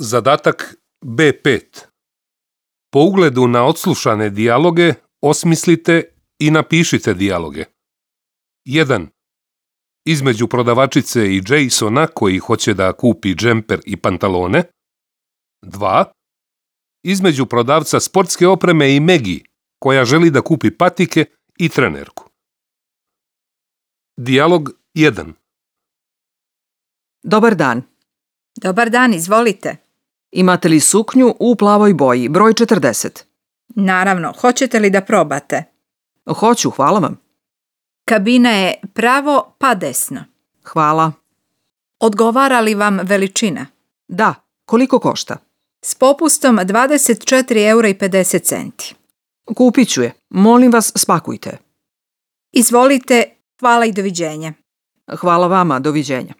Zadatak B5. Po ugledu na odslušane dijaloge osmislite i napišite dijaloge. 1. Između prodavačice i Jasona koji hoće da kupi džemper i pantalone. 2. Između prodavca sportske opreme i Maggie koja želi da kupi patike i trenerku. Dijalog 1. Dobar dan. Dobar dan, izvolite. Imate li suknju u plavoj boji, broj 40? Naravno, hoćete li da probate? Hoću, hvala vam. Kabina je pravo pa desno. Hvala. Odgovara li vam veličina? Da, koliko košta? S popustom 24,50 €. Kupit ću je. Molim vas, spakujte. Izvolite, hvala i doviđenja. Hvala vama, doviđenja.